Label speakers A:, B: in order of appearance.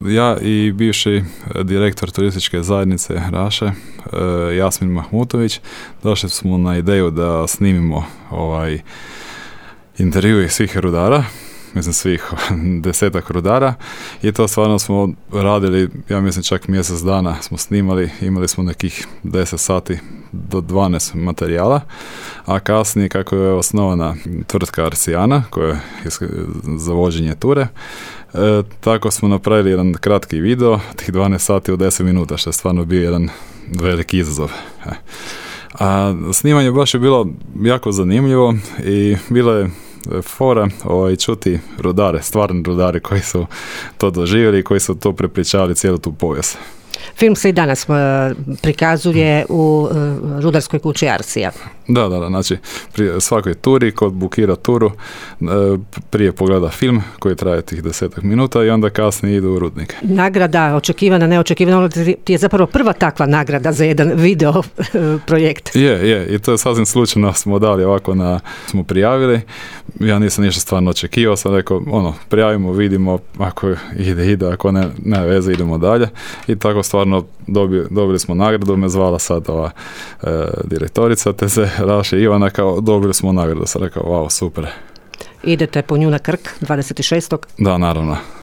A: Ja i bivši direktor turističke zajednice Raše, Jasmin Mahmutović, došli smo na ideju da snimimo intervju svih rudara, mislim svih 10 rudara, i to stvarno smo radili, ja mislim čak mjesec dana smo snimali, imali smo nekih 10 sati do 12 materijala, a kasnije kako je osnovana tvrtka Arcijana koja je za vođenje ture, tako smo napravili jedan kratki video, tih 12 sati u 10 minuta, što je stvarno bio jedan veliki izazov. A snimanje baš je bilo jako zanimljivo i bilo je fora čuti rudare, stvarni rudari koji su to doživjeli i koji su to prepričavali cijelu tu povijest.
B: Film se i danas prikazuje u rudarskoj kući Arcija.
A: Da, znači pri svakoj turi, ko bukira turu, prije pogleda film koji traje tih 10 minuta i onda kasnije ide u rudnik.
B: Nagrada, očekivana, neočekivana, ti je zapravo prva takva nagrada za jedan video projekt.
A: Je, i to je sasvim slučajno smo dali ovako smo prijavili, ja nisam ništa stvarno očekivao, sam rekao, prijavimo, vidimo, ako ide, ako ne veze, idemo dalje, i tako stvarno dobili smo nagradu, me zvala sad ova direktorica TZ Raše Ivana, kao dobili smo nagradu, sam rekao, wow, super.
B: Idete po nju na Krk 26.
A: Da, naravno.